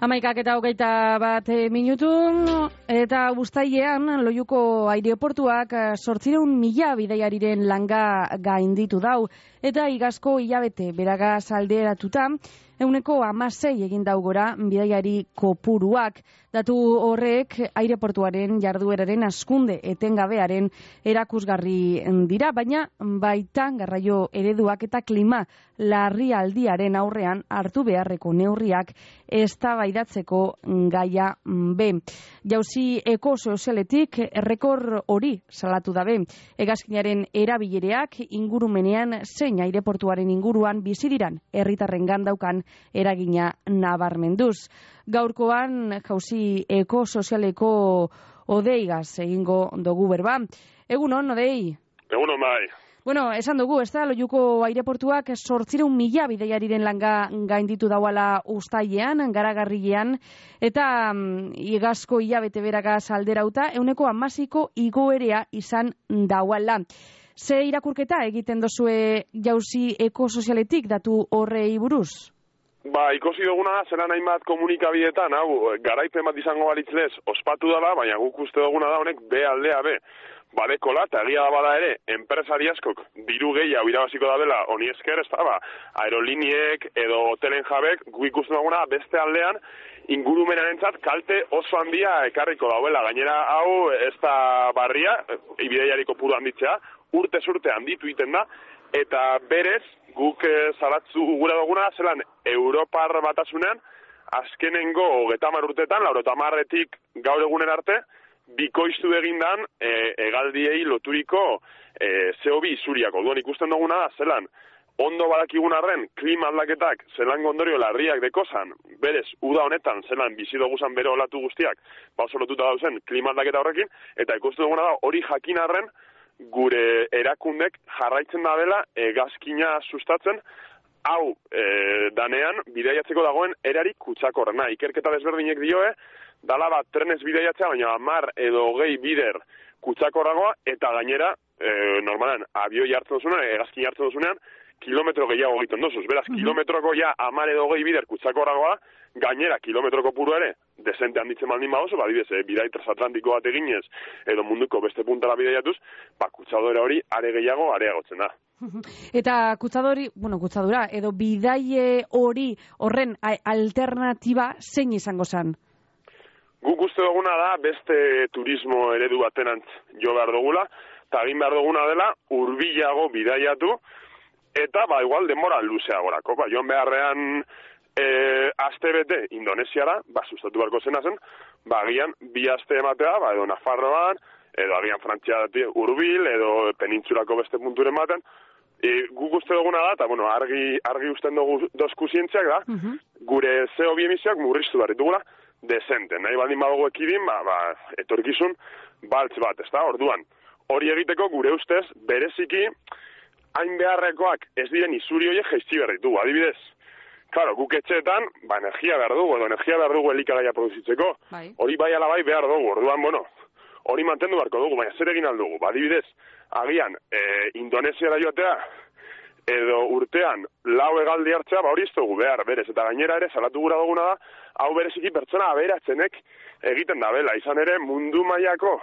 11:21 eta uztailean Loiuko aireportuak 800.000 bidaiariren langa gainditu dau eta igazko hilabete beragaz alderatuta 16% egin dau gora bidaiari kopuruak. Datu horrek aireportuaren jardueraren hazkunde etengabearen erakusgarri dira, baina baita garraio ereduak eta klima larrialdiaren aurrean hartu beharreko neurriak eztabaidatzeko gaia be. Jauzi ekosozialetik errekor hori salatu dabe. Hegazkinaren erabilereak ingurumenean zein aireportuaren inguruan bizi diran herritarrengan daukan eragina nabarmenduz. Gaurkoan jauzi ekosozialeko odeigaz egingo dugu berba. Egunon, odei? Egunon, bai. Bueno, esan dugu, ez da, Loiuko aireportuak 800.000 bidaiariren langa gainditu dauala uztailean, garagarrilean, eta igazko hilabete beragaz alderauta, 16% igoerea izan dauala. Ze irakurketa egiten dozue jauzi ekosozialetik datu horrei buruz? Ba, ikusi duguna, zelan hainbat komunikabidetan, hau, garaipen bat izango balitzlez, ospatu dela, baina guk uste duguna da honek B aldea B. Badekola, eta egia da bada ere, enpresari askok diru gehiago irabaziko da dela, honi esker, ez da, aeroliniek edo hotelen jabek, guk ikusten duguna beste aldean, ingurumenarentzat kalte oso handia ekarriko dauela. Gainera, hau, ez da barria, bidaiari kopuru handitzea, urtez urte handitu iten da, eta berez, guk zalatzu gura duguna, zelan Europar batasunean, azkenengo 30 urtetan, 90etik gaur egunen arte, bikoiztu egindan hegaldiei loturiko CO2 isuriako. Duan ikusten duguna da, zelan, ondo badakigun arren, klima aldaketak, zelan ondorio larriak dekozan, berez, uda honetan, zelan bizi doguzan bere olatu guztiak, oso lotuta dauzen klima aldaketa horrekin, eta ikusten duguna da, hori jakin arren, gure erakundek jarraitzen da dela hegazkina sustatzen, hau danean bidaiatzeko dagoen erari kutsakorrena. Ikerketa desberdinek dioe, dala bat trenez bidaiatzea, baina 10 edo 20 bider kutsakorragoa, eta gainera, normalan, abioi hartzen duzunean, hegazkin hartzen duzunean, kilometro gehiago egiten dozuz. Beraz, kilometroko ja 10 edo 20 bider kutsakorragoa, gainera kilometroko puru ere, desente handitzen baldin badozu, badibidez, bidai transatlantiko bat eginez, edo munduko beste puntara bidaiatuz, kutsadora hori are gehiago areagotzen da. Eta kutsadura, edo bidaie hori horren alternatiba zein izango zen? Guk uste duguna da beste turismo eredu batenantz jo behar dugula, eta egin behar duguna dela hurbilago bidaiatu, eta igual denbora luzeagorako. Joan beharrean aste bete Indonesiara, sustatu beharko zena zen, agian 2 aste ematea, edo Nafarroan, edo agian Frantziatik hurbil, edo penintsulako beste punturen baten. Guk uste duguna da, eta argi usten dozku zientziak da, gure CO2 emisioak murriztu behar ditugula, desente. Nahi baldin badugu ekidin, etorkizun baltz bat, ez da? Orduan, hori egiteko gure ustez, bereziki, hain beharrekoak ez diren isuri horiek jaizti behar ditugu. Adibidez, claro, guk etxeetan, energia behar dugu elikagaia produzitzeko. Hori bai ala bai behar dugu. Orduan, hori mantendu beharko dugu, baina zer egin aldugu. Adibidez, agian, Indonesiara joatea, edo urtean lau hegaldi hartzea, hori ez dugu behar, berez. Eta gainera ere, salatu gura duguna da, hau bereziki pertsona aberatzenek egiten da bela. Izan ere, mundu mailako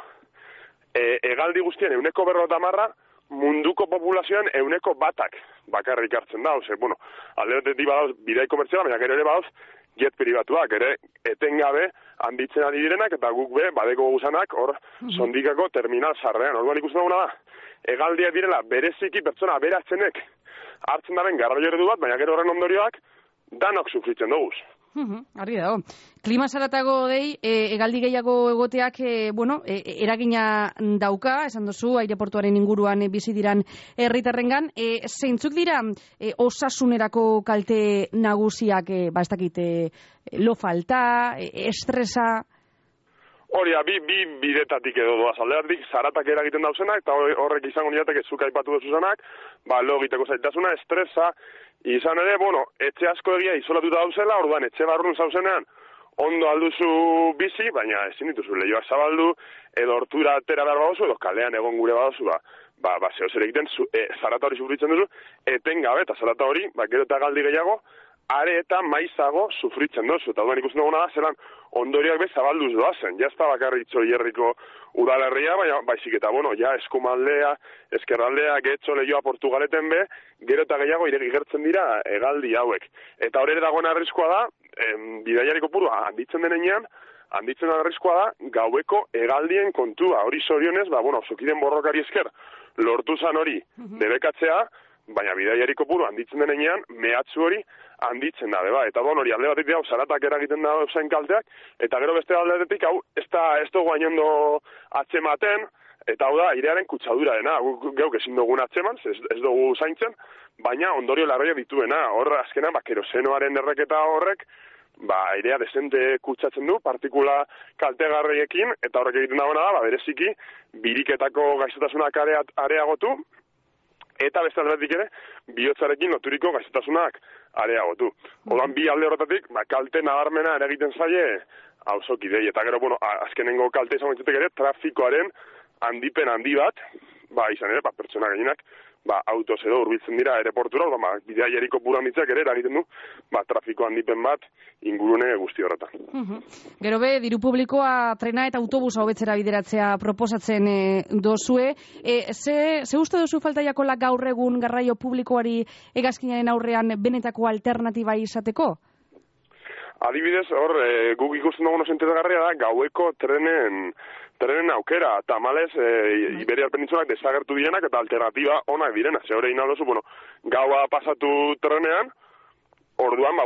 hegaldi guztien 50%, munduko populazioan 1% bakarrik hartzen da. Alde batetik badauz bidai komertziala, baina gero ere badauz jet pribatuak, ere etengabe handitzen ari direnak, eta guk badeko guzanak hor sondikako terminal zarrean. Orduan ikusten duguna da, hegaldiak direla bereziki pertsona aberatzenek hartzen daren garraio eredu bat, baina gero horren ondorioak danok sufritzen duguz. Argi dago. Klima zaratago dei, hegaldi gehiago egoteak, eragina dauka, esan duzu, aireportuaren inguruan bizi diran herritarrengan. Zeintzuk dira osasunerako kalte nagusiak, ez dakit, lo falta, estresa? Hori, bi bidetatik edo doaz aldeatik, zaratak eragiten dauzenak, eta horrek izango niatek ez zuk aipatu duzuzanak, lo egiteko zaitasuna, estresa, izan ere, etxe asko egia izolatuta dauzela, orduan etxe barrun zauzenean, ondo alduzu bizi, baina ezin dituzu lehioak zabaldu, edo hortura atera behar badozu, edo kalean egon gure badozu, zeo zer egiten, zarata hori sufritzen duzu, etengabe, eta zarata hori, gero eta galdi gehiago, are eta maizago sufritzen dozu. Eta duan ikusten duguna da, zelan ondorioak bez zabalduz doazen. Ja ez da bakarrik Txorierriko udalerria, baina baizik eta, eskumaldea, eskerraldea, Getxo, Leioa, Portugaleten be, gero eta gehiago igertzen dira hegaldi hauek. Eta hori ere dagoen arriskua da, bidaiariko purua handitzen denean, handitzen arriskua da, gaueko hegaldien kontua. Hori zorionez, Zokiden borrokari esker, lortu zan hori debekatzea, baina bidaiariko puru handitzen denean, mehatzu hori handitzen da, beba. Eta hori alde batetik hau zaratak eragiten da zen kalteak, eta gero beste alde batetik hau ez dugu gainondo atzematen, eta hau da, airearen kutsadura dena, geuk ezin dugun atzeman, ez dugu zaintzen, baina ondorio larria dituena, hor azkenan, kerosenoaren erreketa horrek, airea desente kutsatzen du, partikula kaltegarriekin, eta horrek egiten dagoena da, bereziki, biriketako gaixotasunak areagotu, eta beste aldetik ere, bihotzarekin loturiko gaixotasunak areagotu. Odan bi alde horretatik, kalte nabarmena ere egiten zaie auzokidei. Eta gero, azkenengo kalte izan baitzutek ere, trafikoaren handipen handi bat, izan ere, pertsona gehienak, autoz edo hurbiltzen dira aeroportura, bidaiariko pura handitzak ere eragiten du, trafiko handipen bat ingurune guzti horretan. Gero be, diru publikoa trena eta autobusa hobetzera bideratzea proposatzen dozue. Ze uste duzu falta jakola gaur egun garraio publikoari hegazkinaren aurrean benetako alternatiba izateko? Adibidez, hor, guk ikusten dugu sentezgarria da, gaueko trenen aukera, tamalez, Iberiar Penintsulak desagertu direnak eta alternatiba onak direna. Ze hori inaldozu, gaua pasatu trenean, orduan,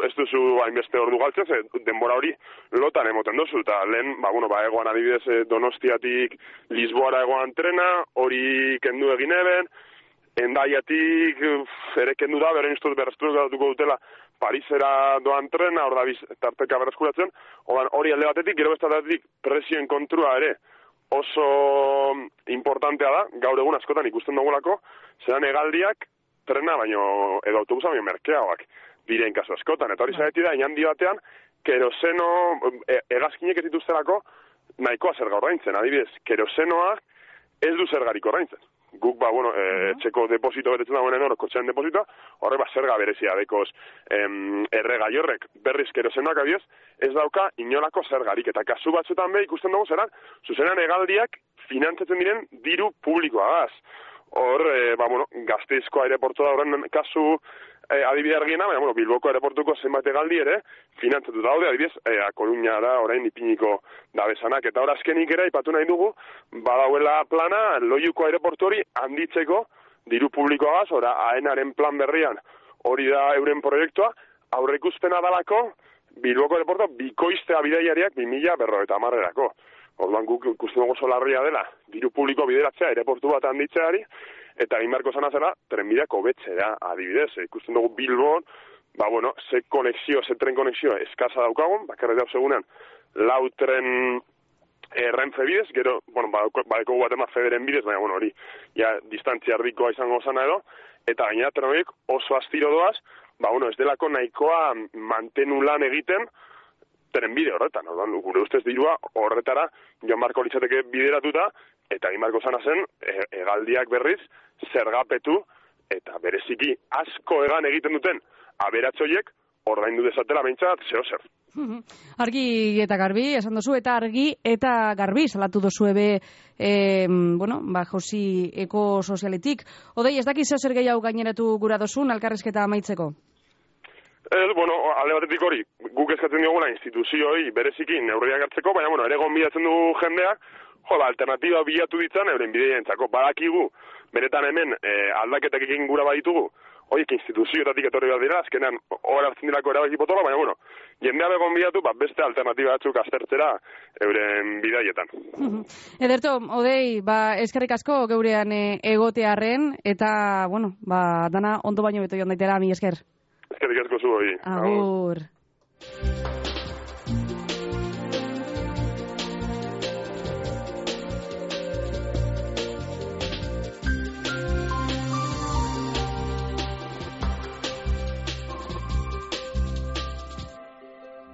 ez duzu hainbeste ordu galtzen, denbora hori lotan emoten duzu, eta lehen, egoan adibidez Donostiatik Lisboara egoan trena, hori kendu egin eben, Endaiatik ere kendu da, beren iztuz berreztuko dutela Parisera doan trena, hor da tarteka berreskuratzen, hori alde batetik, gero beste batetik presioen kontrua ere oso importantea da, gaur egun askotan ikusten dugulako, zeran hegaldiak trena baino, edo autobusa baino merkeagoak diren kasu askotan, eta hori zaretik da, inandi batean, keroseno, hegazkinek ez dituztelako nahikoa zerga ordaintzen, adibidez, kerosenoa ez du zergarik ordaintzen. Guk, etxeko deposito betetzen dagoen hor, kotxean depositoa, horre zerga berezia dekoz erregai horrek, berriz kerosenoak abiez, ez dauka inolako zergarik, eta kasu batzuetan be ikusten dugu zeran, zuzenan hegaldiak finantzatzen diren diru publikoa gaz. Hor, Gasteizko aireportua horren kasu adibide argiena, baina, Bilboko aireportuko zenbait hegaldi ere, finantzatu daude, adibidez, Koruña da, orain ipiniko dabezanak, eta hor azkenik ere, ipatu nahi dugu, badauela plana, Loiuko aireportu hori handitzeko diru publikoagaz, AENaren plan berrian, hori da euren proiektua, aurreikuspena dalako, Bilboko aireportua bikoiztea bidaiariak 2050erako. Orduan guk ikusten dugu solarria dela, diru publiko bideratzea, aireportu bat handitzeari, eta egin beharko zana zela, trenbideak hobetzea, adibidez. Ikusten dugu Bilbon, ze tren konexio eskasa daukagun, bakarrik dauz egunean, 4 tren Renfe bidez, gero, badeko bat ema Federen bidez, baina, hori, distantzia erdikoa izango zana edo, eta gainera tren horiek oso astiro doaz, ez delako nahikoa mantenu lan egiten, trenbide horretan, gure ustez dirua horretara joan barko litzateke bideratuta, eta egin barko zana zen, hegaldiak berriz, zergapetu, eta bereziki asko egan egiten duten aberatzoiek, ordaindu dezatela behintzat, zer. Argi eta garbi, esan dozu, eta argi eta garbi, salatu dozu ebe, Josi Eko Sozialetik. Odei, ez dakiz zer gehiago gaineratu gura dozun, alkarrizketa amaitzeko? Alde batetik hori, guk eskatzen diogula instituzioi bereziki neurriak hartzeko, baina, ere gonbidatzen du jendea, alternatiba bilatu ditzan euren bideientzako. Badakigu, benetan hemen aldaketak egin gura baditugu, horiek instituzioetatik etorri bat dira, azkenean hor hartzen dirako erabaki potola, baina, jendea begon bidatu, beste alternatiba batzuk aztertzera euren bidaietan. Ederto, Odei, eskerrik asko geurean egotearren, eta, dana ondo baino beto joan daitela, mi esker. Eskerrik asko zu hori. Agur.